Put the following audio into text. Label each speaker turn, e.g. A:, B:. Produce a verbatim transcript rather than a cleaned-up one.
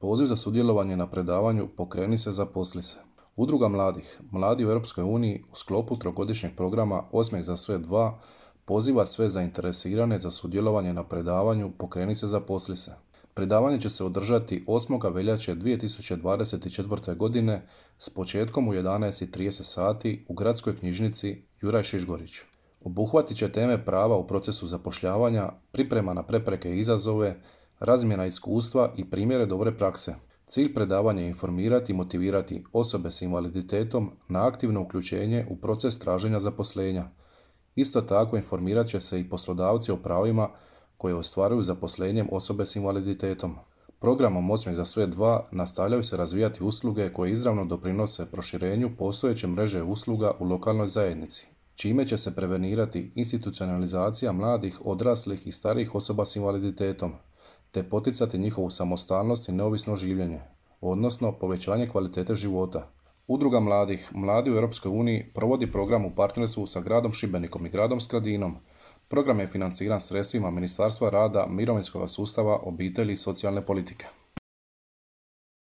A: Poziv za sudjelovanje na predavanju Pokreni se, zaposli se. Udruga mladih, Mladi u Europskoj uniji u sklopu trogodišnjeg programa Osmijeh za sve dva poziva sve zainteresirane za sudjelovanje na predavanju Pokreni se, zaposli se. Predavanje će se održati osmog veljače dvije tisuće dvadeset četvrte. godine s početkom u jedanaest i trideset sati u Gradskoj knjižnici Juraj Šišgorić. Obuhvatit će teme prava u procesu zapošljavanja, priprema na prepreke i izazove, razmjena iskustva i primjere dobre prakse. Cilj predavanja je informirati i motivirati osobe s invaliditetom na aktivno uključenje u proces traženja zaposlenja. Isto tako informirat će se i poslodavci o pravima koje ostvaruju zaposlenjem osobe s invaliditetom. Programom Osmijeh za sve dva nastavljaju se razvijati usluge koje izravno doprinose proširenju postojeće mreže usluga u lokalnoj zajednici, čime će se prevenirati institucionalizacija mladih, odraslih i starijih osoba s invaliditetom, te poticati njihovu samostalnost i neovisno življenje, odnosno povećanje kvalitete života. Udruga mladih, Mladi u Europskoj uniji provodi program u partnerstvu sa gradom Šibenikom i gradom Skradinom. Program je financiran sredstvima Ministarstva rada, mirovinskog sustava, obitelji i socijalne politike.